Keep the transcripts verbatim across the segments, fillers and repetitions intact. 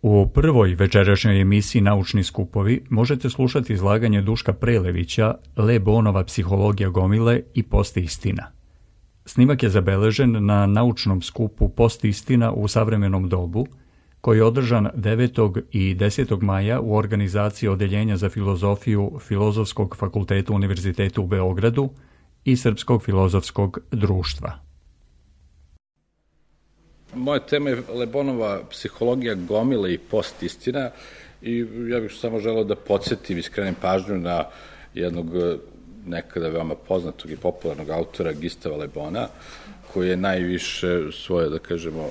U prvoj večerašnjoj emisiji Naučni skupovi možete slušati izlaganje Duška Prelevića Le Bonova psihologija gomile i postistina. Snimak je zabeležen na naučnom skupu Postistina u savremenom dobu, koji je održan devetog i desetog maja u organizaciji Odeljenja za filozofiju Filozofskog fakulteta Univerziteta u Beogradu i Srpskog filozofskog društva. Moja tema je Le Bonova psihologija gomile i postistina i ja bih samo želeo da podsjetim i skrenem pažnju na jednog nekada veoma poznatog i popularnog autora Gustava Le Bona, koji je najviše svoje, da kažemo,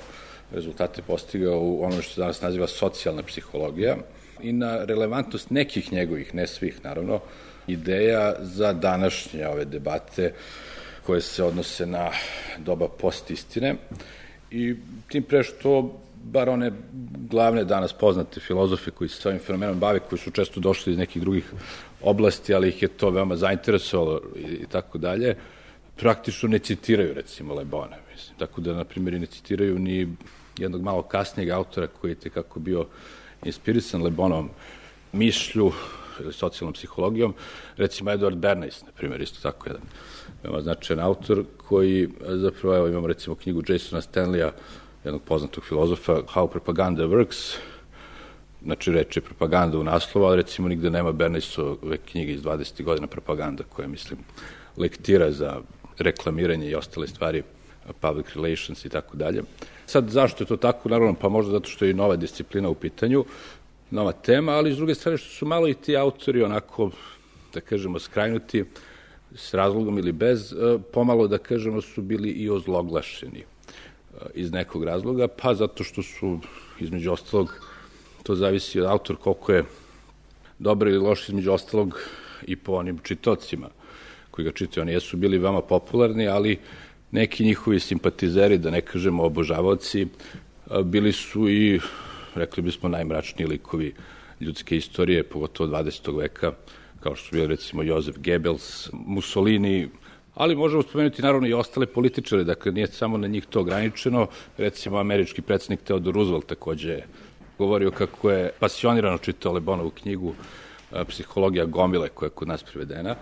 rezultate postigao u ono što se danas naziva socijalna psihologija i na relevantnost nekih njegovih, ne svih naravno, ideja za današnje ove debate koje se odnose na doba postistine. I tim pre što, bar one glavne danas poznate filozofe koji se s ovim fenomenom bave, koji su često došli iz nekih drugih oblasti, ali ih je to veoma zainteresovalo i tako dalje, praktično ne citiraju, recimo, Le Bona. Mislim. Tako da, na primjer, ne citiraju ni jednog malo kasnijeg autora koji je tekako bio inspirisan Le Bonovom mišlju ili socijalnom psihologijom, recimo Edward Bernays, na primjer, isto tako jedan veoma značajan autor koji, zapravo, evo imamo recimo knjigu Jasona Stanleya, jednog poznatog filozofa, How Propaganda Works, znači reče propaganda u naslovu, ali recimo nigde nema Bernaysove knjige iz dvadesetih godina propaganda, koja, mislim, lektira za reklamiranje i ostale stvari, public relations i tako dalje. Sad, zašto je to tako? Naravno, pa možda zato što je i nova disciplina u pitanju, nova tema, ali s druge strane što su malo i ti autori onako, da kažemo, skrajnuti s razlogom ili bez, pomalo, da kažemo, su bili i ozloglašeni iz nekog razloga, pa zato što su, između ostalog, to zavisi od autor koliko je dobar ili loš, između ostalog i po onim čitocima koji ga čitaju. Oni jesu bili veoma popularni, ali neki njihovi simpatizeri, da ne kažemo obožavaoci, bili su i, rekli bismo, najmračniji likovi ljudske istorije, pogotovo dvadesetog veka, kao što su bili, recimo, Joseph Goebbels, Mussolini, ali možemo spomenuti naravno i ostale političare, dakle nije samo na njih to ograničeno. Recimo, američki predsjednik Theodore Roosevelt takođe je govorio kako je pasionirano čitao Le Bonovu knjigu Psihologija gomile, koja je kod nas prevedena,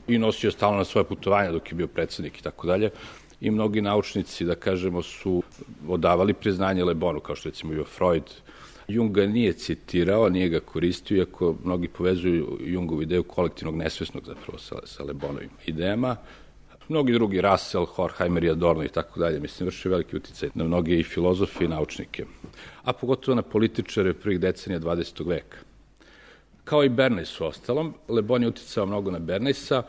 i nosio stalno na svoje putovanja dok je bio predsjednik i tako dalje. I mnogi naučnici, da kažemo, su odavali priznanje Le Bonu, kao što recimo bio Freud. Jung ga nije citirao, nije ga koristio, iako mnogi povezuju Jungovu ideju kolektivnog nesvesnog zapravo sa, sa Le Bonovim idejama. Mnogi drugi, Russell, Horkheimer i Adorno i tako dalje, mislim, vrši veliki uticaj na mnoge i filozofe i naučnike, a pogotovo na političare prvih decenija dvadesetog veka. Kao i Bernays u ostalom, Le Bon je uticao mnogo na Bernaysa.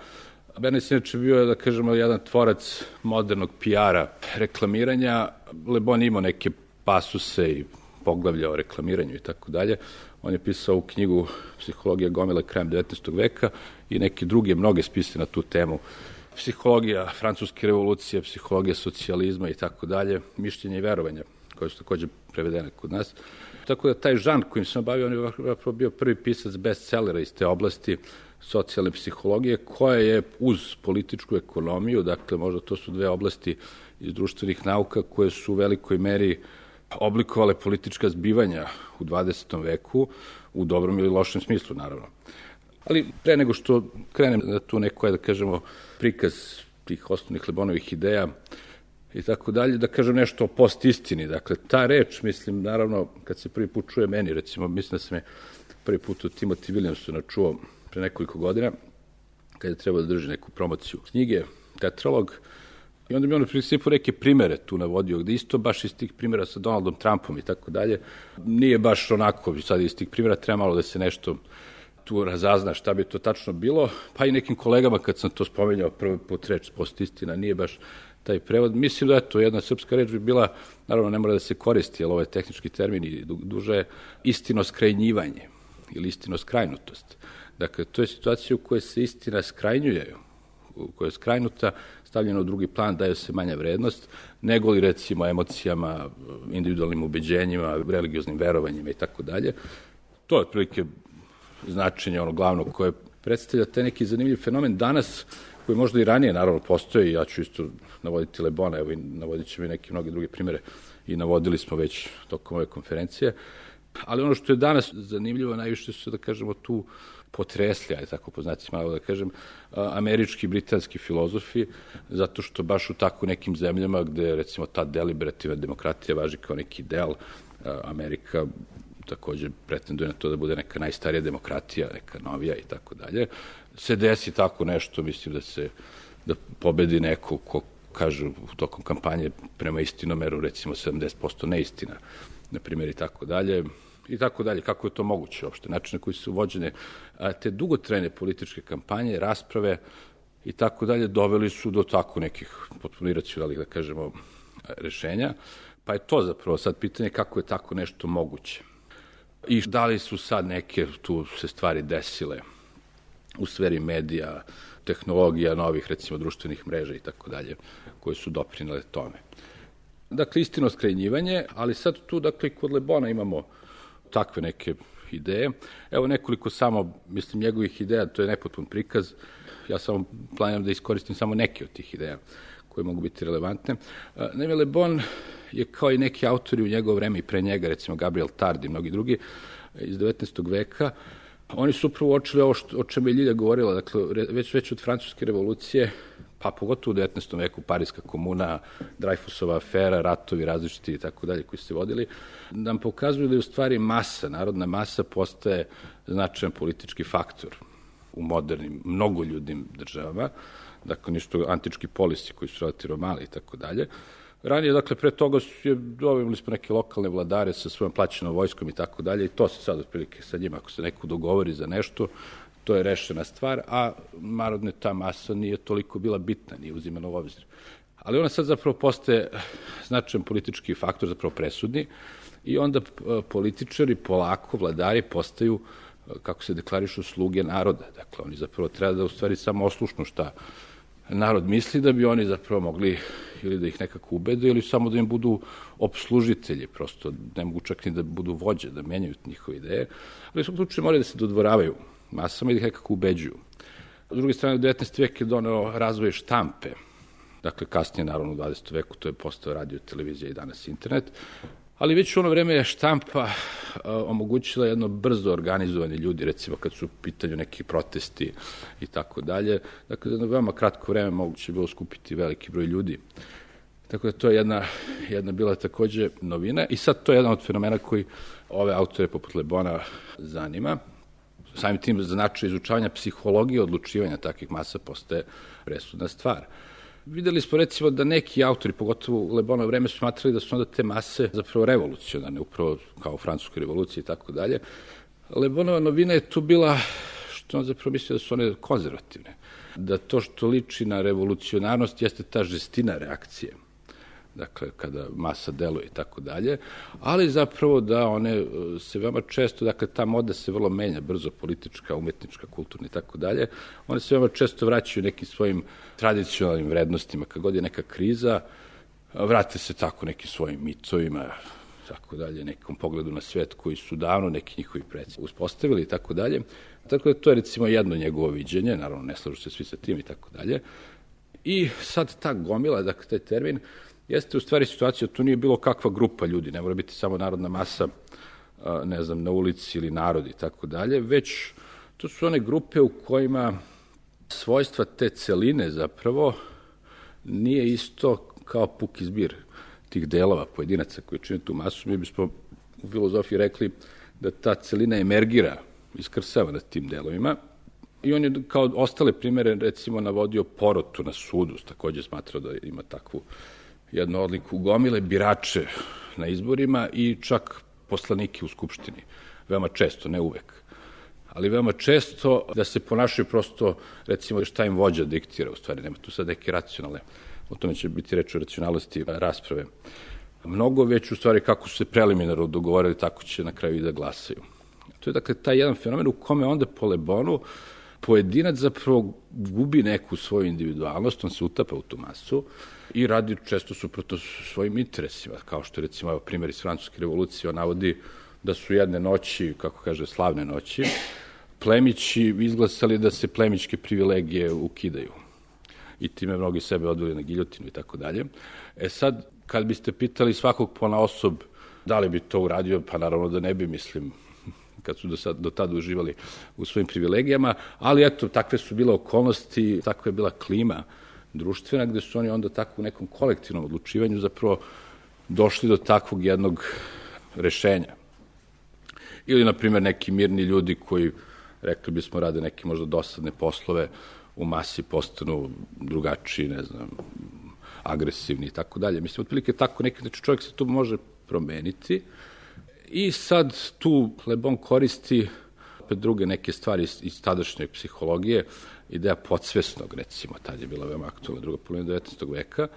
Bernays inače bio, da kažemo, jedan tvorac modernog P R-a, reklamiranja. Le Bon imao neke pasuse i poglavlja o reklamiranju i tako dalje. On je pisao u knjigu Psihologija gomile krajem devetnaestog veka i neke druge, mnoge spise na tu temu. Psihologija francuske revolucije, psihologija socijalizma i tako dalje, mišljenja i verovanja, koje su takođe prevedene kod nas. Tako da taj žanr kojim sam bavio, on je bio prvi pisac bestsellera iz te oblasti socijalne psihologije, koja je uz političku ekonomiju, dakle možda to su dve oblasti iz društvenih nauka koje su u velikoj meri oblikovale politička zbivanja u dvadesetom veku, u dobrom ili lošem smislu, naravno. Ali pre nego što krenem na tu neko, da kažemo, prikaz tih osnovnih Le Bonovih ideja i tako dalje, da kažem nešto o postistini. Dakle, ta reč, mislim, naravno, kad se prvi put čuje meni, recimo, mislim da sam je prvi put od Timothy Williamsona čuo pre nekoliko godina, kada je trebao da drži neku promociju knjige, tetralog, i onda mi on u principu neke primere tu navodio, gde isto baš iz tih primera sa Donaldom Trumpom i tako dalje, nije baš onako, sad iz tih primera treba malo da se nešto tu razazna šta bi to tačno bilo, pa i nekim kolegama kad sam to spominjao prvi put reč postistina, nije baš taj prevod. Mislim da je to jedna srpska reč bi bila, naravno ne mora da se koristi, jer ovo je tehnički termin i duže, istinoskrajnjivanje ili istinoskrajnutost. Dakle, to je situacija u kojoj se istina skrajnjuje, u kojoj je skrajnuta, stavljena u drugi plan, daje se manja vrednost, nego li recimo emocijama, individualnim ubeđenjima, religioznim verovanjima i tako dalje. To je otprilike značenje ono glavno koje predstavlja taj neki zanimljiv fenomen danas, koji možda i ranije naravno postoji, ja ću isto navoditi Le Bona, evo i navodit ćemo i neke mnoge druge primere i navodili smo već tokom ove konferencije, Ali ono što je danas zanimljivo, najviše su, da kažemo, tu potresli, aj tako poznati malo da kažem, američki i britanski filozofi, zato što baš u tako nekim zemljama gde, recimo, ta deliberativna demokratija važi kao neki ideal, Amerika takođe pretenduje na to da bude neka najstarija demokratija, neka novija i tako dalje, se desi tako nešto, mislim da se, da pobedi neko ko kažu u tokom kampanje prema istinomeru, recimo sedamdeset posto neistina, na primjer, i tako dalje, i tako dalje. Kako je to moguće uopšte? Način na koji su vođene te dugotrajne političke kampanje, rasprave i tako dalje, doveli su do tako nekih potpuno iracionalnih, da kažemo, rešenja. Pa je to zapravo sad pitanje kako je tako nešto moguće. I da li su sad neke tu se stvari desile u sferi medija, tehnologija, novih, recimo, društvenih mreža i tako dalje, koje su doprinele tome. Dakle, istino skrajnjivanje, ali sad tu, dakle, kod Le Bona imamo takve neke ideje. Evo nekoliko samo, mislim, njegovih ideja, to je nepotpun prikaz. Ja samo planiram da iskoristim samo neke od tih ideja koje mogu biti relevantne. Naime, Le Bon je kao i neki autori u njegovo vreme i pre njega, recimo Gabriel Tard i mnogi drugi iz devetnaestog veka, oni su upravo uočili ovo što, o čemu je Ljilja govorila, dakle, već, već od francuske revolucije, pa pogotovo u devetnaestom veku, Pariska komuna, Dreyfusova afera, ratovi različiti i tako dalje koji su se vodili, nam pokazuju da je u stvari masa, narodna masa postaje značajan politički faktor u modernim, mnogoljudnim državama, dakle, ništo antički polisi koji su relativno mali i tako dalje. Ranije, dakle, pre toga je, dobili smo neke lokalne vladare sa svojom plaćenom vojskom i tako dalje i to se sad otprilike sa njima, ako se neko dogovori za nešto, to je rešena stvar, a narodne ta masa nije toliko bila bitna, nije uzimana u obzir. Ali ona sad zapravo postaje značajan politički faktor, zapravo presudni, i onda političari, polako, vladari postaju, kako se deklarišu, sluge naroda. Dakle, oni zapravo treba da u stvari samo oslušnu šta narod misli, da bi oni zapravo mogli ili da ih nekako ubede ili samo da im budu opslužitelji, prosto ne mogu čak ni da budu vođe, da menjaju njihove ideje, ali u svom slučaju moraju da se dodvoravaju masama i da ih nekako ubeđuju. S druge strane, devetnaesti vek je doneo razvoj štampe, dakle kasnije, naravno, u dvadesetom veku to je postao radio, televizija i danas internet, ali već u ono vreme je štampa a, omogućila jedno brzo organizovanje ljudi, recimo kad su u pitanju neki protesti i tako dalje. Dakle, za veoma kratko vreme moguće je bilo skupiti veliki broj ljudi. Tako da to je jedna, jedna bila takođe novina i sad to je jedan od fenomena koji ove autore poput Le Bona zanima. Samim tim značaj izučavanja psihologije odlučivanja takvih masa postaje presudna stvar. Videli smo, recimo, da neki autori, pogotovo u Le Bonovo vreme, su smatrali da su onda te mase zapravo revolucionarne, upravo kao u francuskoj revoluciji i tako dalje. Le Bonova novina je tu bila što on zapravo mislio da su one konzervativne, da to što liči na revolucionarnost jeste ta žestina reakcije, dakle, kada masa deluje i tako dalje, ali zapravo da one se veoma često, dakle, ta moda se vrlo menja, brzo, politička, umetnička, kulturna i tako dalje, one se veoma često vraćaju nekim svojim tradicionalnim vrednostima, kad god je neka kriza, vrate se tako nekim svojim mitovima, tako dalje, nekom pogledu na svet koji su davno neki njihovi preci uspostavili i tako dalje. Tako da to je, recimo, jedno njegovo viđenje, naravno ne slažu se svi sa tim i tako dalje. I sad ta gomila, dakle, taj termin, jeste u stvari situacija, tu nije bilo kakva grupa ljudi, ne mora biti samo narodna masa, ne znam, na ulici ili narod i tako dalje, već to su one grupe u kojima svojstva te celine zapravo nije isto kao puki zbir tih delova, pojedinaca koji čine tu masu. Mi bismo u filozofiji rekli da ta celina emergira, iskrsava na tim delovima. I on je kao ostale primere, recimo, navodio porotu na sudu, takođe smatrao da ima takvu jednu odliku, gomile birače na izborima i čak poslanike u Skupštini. Veoma često, ne uvek, ali veoma često da se ponašaju prosto, recimo, šta im vođa diktira, u stvari, nema tu sad neke racionalne, o tome će biti reč o racionalnosti rasprave. Mnogo već, u stvari, kako su se preliminarno dogovorili, tako će na kraju i da glasaju. To je, dakle, taj jedan fenomen u kome onda po Le Bonu pojedinac zapravo gubi neku svoju individualnost, on se utapa u tu masu i radi često suprotno svojim interesima, kao što je, recimo, primjer iz francuske revolucije, on navodi da su jedne noći, kako kaže, slavne noći, plemići izglasali da se plemićke privilegije ukidaju i time mnogi sebe odveli na giljotinu i tako dalje. E sad, kad biste pitali svakog ponaosob Da li bi to uradio? Pa naravno da ne bi, mislim, kad su do, sad, do tada uživali u svojim privilegijama, ali eto, takve su bile okolnosti, takva je bila klima društvena, gde su oni onda tako u nekom kolektivnom odlučivanju zapravo došli do takvog jednog rešenja. Ili, na primjer, neki mirni ljudi koji, rekli bismo, rade neke možda dosadne poslove, u masi postanu drugačiji, ne znam, agresivni i tako dalje. Mislim, otprilike tako neki, znači čovjek se tu može promeniti i sad tu Le Bon koristi opet druge neke stvari iz, iz tadašnje psihologije, ideja podsvesnog, recimo, tad je bila veoma aktualna druga polovina devetnaestog veka.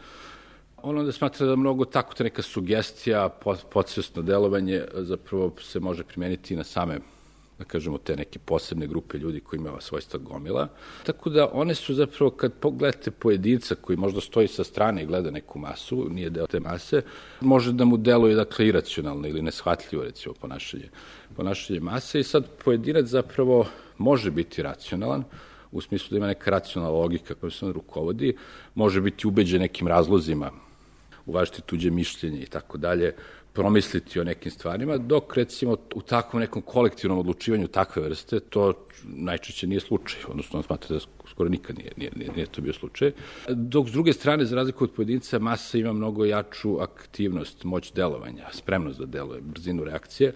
On onda smatra da mnogo tako ta neka sugestija, podsvesno delovanje zapravo se može primeniti i na same, da kažemo, te neke posebne grupe ljudi koji imaju svojstva gomila. Tako da one su zapravo, kad pogledate pojedinca koji možda stoji sa strane i gleda neku masu, nije deo te mase, može da mu deluje, dakle, iracionalno ili neshvatljivo, recimo, ponašanje, ponašanje mase i sad pojedinac zapravo može biti racionalan, u smislu da ima neka racionalna logika koja se on rukovodi, može biti ubeđen nekim razlozima, uvažiti tuđe mišljenje i tako dalje, promisliti o nekim stvarima, dok recimo u takvom nekom kolektivnom odlučivanju takve vrste to najčešće nije slučaj, odnosno on smatra da skoro nikad nije, nije, nije, nije to bio slučaj. Dok s druge strane, za razliku od pojedinca, masa ima mnogo jaču aktivnost, moć delovanja, spremnost da deluje, brzinu reakcije,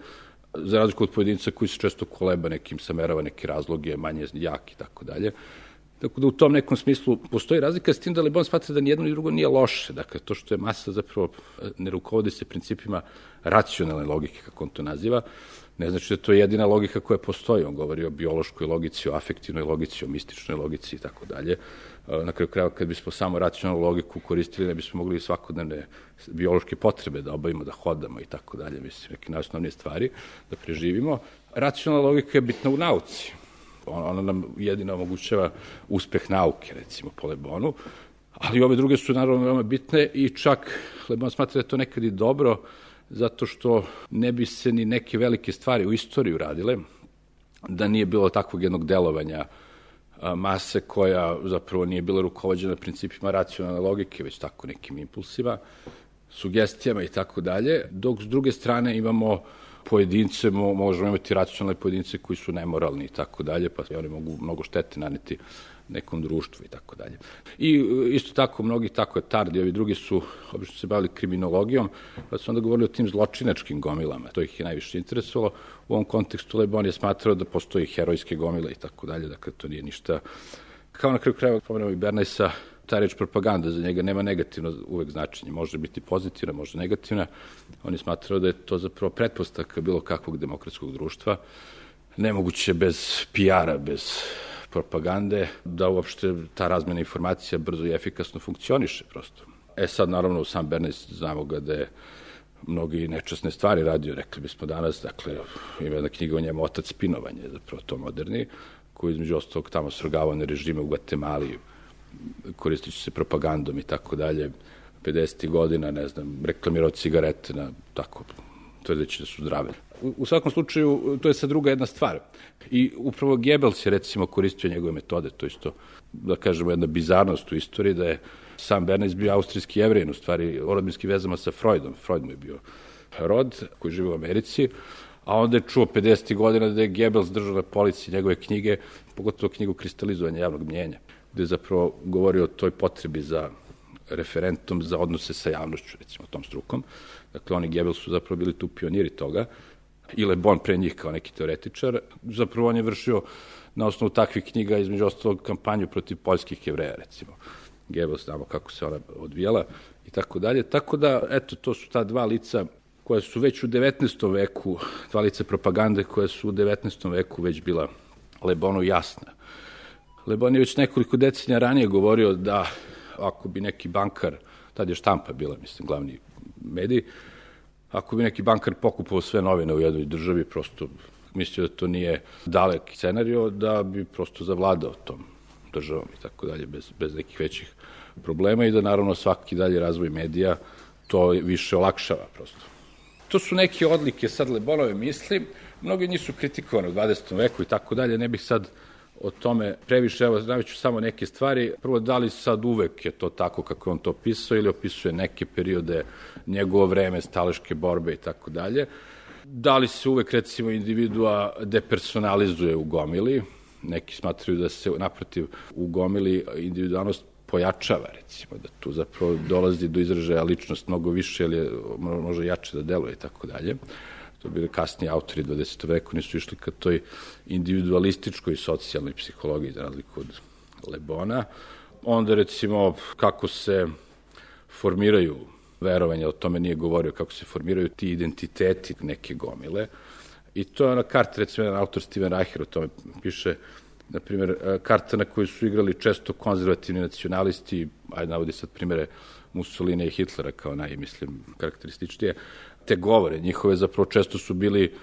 za razliku od pojedinca koji se često koleba nekim, samerava neke razloge, manje jak i tako dalje. Tako da u tom nekom smislu postoji razlika, s tim da Le Bon smatra da nijedno ni drugo nije loše. Dakle, to što je masa zapravo ne rukovodi se principima racionalne logike, kako on to naziva, ne znači da to je jedina logika koja postoji. On govori o biološkoj logici, o afektivnoj logici, o mističnoj logici i tako dalje. Na kraju krajeva, kad bismo samo racionalnu logiku koristili, ne bismo mogli svakodnevne biološke potrebe da obavimo, da hodamo i tako dalje, mislim, neke najosnovnije stvari, da preživimo. Racionalna logika je bitna u nauci. Ona nam jedino omogućava uspeh nauke, recimo, po Le Bonu, ali ove druge su naravno veoma bitne i čak Le Bon smatra da je to nekad i dobro, zato što ne bi se ni neke velike stvari u istoriji uradile, da nije bilo takvog jednog delovanja mase koja zapravo nije bila rukovođena principima racionalne logike, već tako nekim impulsima, sugestijama i tako dalje, dok s druge strane imamo pojedince, možemo imati racionalne pojedince koji su nemoralni i tako dalje, pa oni mogu mnogo štete naneti nekom društvu i tako dalje. I isto tako, mnogi tako je Tardi, ovi drugi su obično se bavili kriminologijom, pa su onda govorili o tim zločinačkim gomilama, to ih je najviše interesovalo. U ovom kontekstu Le Bon je smatrao da postoji herojske gomile i tako dalje, dakle to nije ništa. Kao na kraju krajeva, pomenemo i Bernaysa, ta reč propaganda za njega nema negativno uvek značenje, može biti pozitivna, može negativna. On je smatrao da je to zapravo pretpostavka bilo kakvog demokratskog društva, nemoguće bez P R-a, bez propagande, da uopšte ta razmena informacija brzo i efikasno funkcioniše prosto. E sad, naravno, sam Bernays, znamo ga da je mnogi nečasne stvari radio, rekli bismo danas, dakle, ima jedna knjiga o njemu, Otac spinovanja, zapravo to moderni, koji između ostalog tamo svrgavao na režime u Gvatemali, koristići se propagandom i tako dalje, pedesetih godina, ne znam, reklamirao cigarete na tako, tvrdeći da su zdrave. U, u svakom slučaju, to je sad druga jedna stvar. I upravo Goebbels je, recimo, koristio njegove metode, to isto, da kažemo, jedna bizarnost u istoriji, da je sam Bernays bio austrijski Jevrijin, u stvari, o rodbinskim vezama sa Freudom. Freud mu je bio rod, koji živi u Americi, a onda je čuo pedesetih godina da je Goebbels držao na polici njegove knjige, pogotovo knjigu Kristalizovanja javnog mnjenja, gde je zapravo govorio o toj potrebi za referentom za odnose sa javnošću, recimo, tom strukom. Dakle, oni Goebbels su zapravo bili tu pioniri toga, i Le Bon pre njih kao neki teoretičar. Zapravo on je vršio na osnovu takvih knjiga, između ostalog, kampanju protiv poljskih Jevreja, recimo. Goebbels, znamo kako se ona odvijala i tako dalje. Tako da, eto, to su ta dva lica koja su već u devetnaestom veku, dva lica propagande koja su u devetnaestom veku već bila Le Bonu jasna. Le Bon je već nekoliko decenija ranije govorio da ako bi neki bankar, tad je štampa bila, mislim, glavni medij, ako bi neki bankar pokupao sve novine u jednoj državi, prosto mislio da to nije dalek scenario, da bi prosto zavladao tom državom i tako dalje, bez, bez nekih većih problema i da naravno svaki dalje razvoj medija to više olakšava prosto. To su neke odlike sad Le Bonove misli, mnogi njih su kritikovane u dvadesetom veku i tako dalje, ne bih sad o tome previše, evo, naviću samo neke stvari. Prvo, da li sad uvek je to tako kako on to opisao ili opisuje neke periode, njegovo vreme, staleške borbe i tako dalje. Da li se uvek, recimo, individua depersonalizuje u gomili? Neki smatraju da se, naprotiv, u gomili individualnost pojačava, recimo, da tu zapravo dolazi do izražaja ličnost mnogo više, ili može jače da deluje i tako dalje. To bili kasniji autori dvadesetog veku, nisu išli ka toj individualističkoj socijalnoj psihologiji, za razliku od Le Bona. Onda, recimo, kako se formiraju verovanja, o tome nije govorio, kako se formiraju ti identiteti neke gomile. I to je ona karta, recimo, jedan autor Steven Reicher o tome piše, na primjer, karta na koju su igrali često konzervativni nacionalisti, ajde navodi sad primjere Mussolini i Hitlera kao naj, mislim, karakterističnije, te govore njihove zapravo često su bili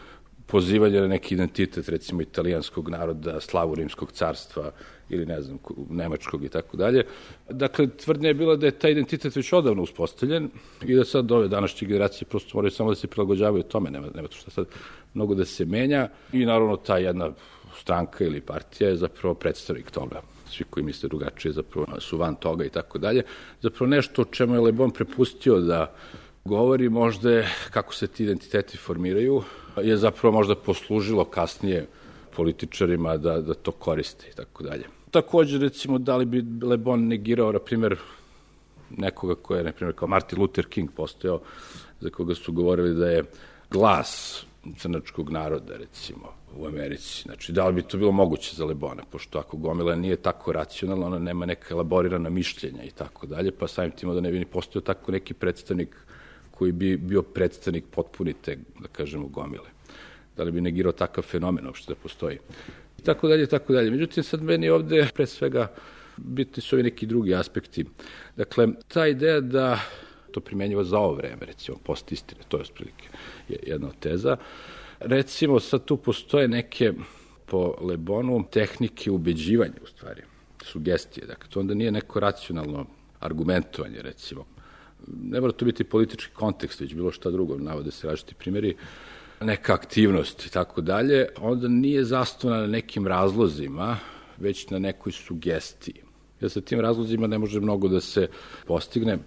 pozivanje na neki identitet, recimo italijanskog naroda, slavu rimskog carstva ili ne znam, nemačkog i tako dalje. Dakle, tvrdnja je bila da je taj identitet već odavno uspostavljen i da sad ove današnje generacije prosto moraju samo da se prilagođavaju tome, nema, nema to što sad mnogo da se menja i naravno ta jedna stranka ili partija je zapravo predstavnik toga. Svi koji misle drugačije zapravo su van toga i tako dalje. Zapravo nešto o čemu je Le Bon prepustio da govori možda je kako se ti identiteti formiraju, je zapravo možda poslužilo kasnije političarima da, da to koriste i tako dalje. Također, recimo, da li bi Le Bon negirao, na primjer, nekoga koja je, na primjer, kao Martin Luther King postojao, za koga su govorili da je glas crnačkog naroda, recimo, u Americi. Znači, da li bi to bilo moguće za Le Bona, pošto ako gomila nije tako racionalna, ona nema neka elaborirana mišljenja i tako dalje, pa samim tim da ne bi ni postojao tako neki predstavnik koji bi bio predstavnik potpunite, da kažemo, gomile. Da li bi negirao takav fenomen uopšte da postoji. I tako dalje, tako dalje. Međutim, sad meni ovde, pre svega, bitni su ovi neki drugi aspekti. Dakle, ta ideja da to primenjivo za ovo vreme, recimo, post istine, to je otprilike jedna od teza. Recimo, sad tu postoje neke, po Le Bonu, tehnike ubeđivanja, u stvari, sugestije. Dakle, to onda nije neko racionalno argumentovanje, recimo. Ne mora to biti politički kontekst, već bilo šta drugo, navode se različiti primjeri, neka aktivnost i tako dalje, onda nije zasnovana na nekim razlozima, već na nekoj sugestiji. Jer sa tim razlozima ne može mnogo da se postigne.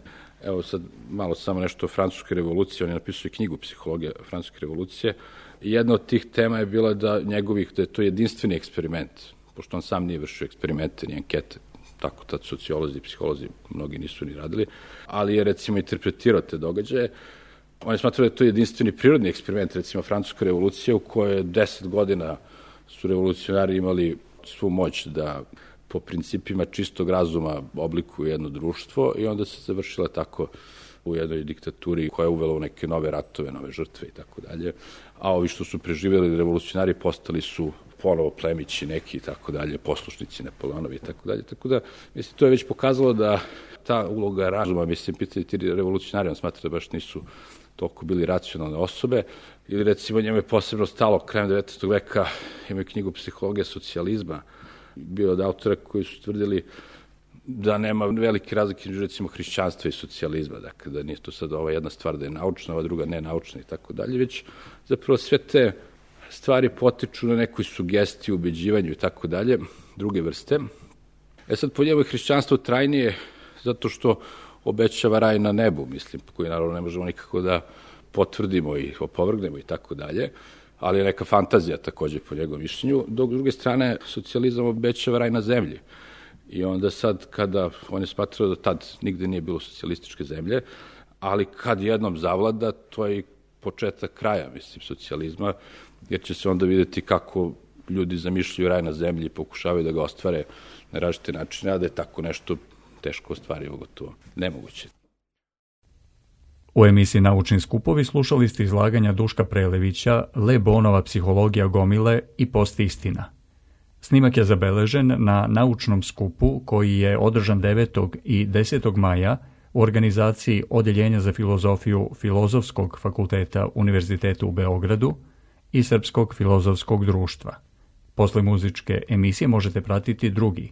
Evo sad malo samo nešto o Francuskoj revoluciji, on je napisao i knjigu Psihologija Francuske revolucije. I jedna od tih tema je bila da njegovih, da je to jedinstveni eksperiment, pošto on sam nije vršio eksperimente, ni ankete, tako tad sociolozi i psiholozi mnogi nisu ni radili, ali je recimo interpretirao te događaje. On je smatrao da je to jedinstveni prirodni eksperiment, recimo Francuska revolucija, u kojoj deset godina su revolucionari imali svu moć da po principima čistog razuma oblikuju jedno društvo i onda se završila tako u jednoj diktaturi koja je uvela u neke nove ratove, nove žrtve i tako dalje. A ovi što su preživjeli revolucionari postali su ponovo plemići neki i tako dalje, poslušnici Napoleonovi i tako dalje. Tako da, mislim, to je već pokazalo da ta uloga razuma, mislim, pitali ti revolucionari, on smatra da baš nisu toliko bili racionalne osobe, ili recimo njemu je posebno stalo krajem devetnaestog veka, imaju knjigu Psihologija socijalizma, bio od autora koji su tvrdili da nema velike razlike između recimo hrišćanstva i socijalizma, dakle da nije to sad ova jedna stvar da je naučna, ova druga nenaučna i tako dalje, već zapravo sve te stvari potiču na nekoj sugestiji, ubeđivanju i tako dalje, druge vrste. E sad, po njemu je hrišćanstvo trajnije zato što obećava raj na nebu, mislim, koji naravno ne možemo nikako da potvrdimo i opovrgnemo i tako dalje, ali je neka fantazija takođe po njegovom mišljenju, dok s druge strane socijalizam obećava raj na zemlji. I onda sad, kada on je smatrao da tad nigde nije bilo socijalističke zemlje, ali kad jednom zavlada, to je i početak kraja, mislim, socijalizma, jer će se onda videti kako ljudi zamišljaju raj na zemlji i pokušavaju da ga ostvare na različite načine, a da je tako nešto teško ostvarivo, gotovo nemoguće. U emisiji Naučni skupovi slušali ste izlaganja Duška Prelevića, Le Bonova psihologija gomile i post istina. Snimak je zabeležen na naučnom skupu koji je održan devetog i desetog maja u organizaciji Odeljenja za filozofiju Filozofskog fakulteta Univerziteta u Beogradu i Srpskog filozofskog društva. Posle muzičke emisije možete pratiti drugi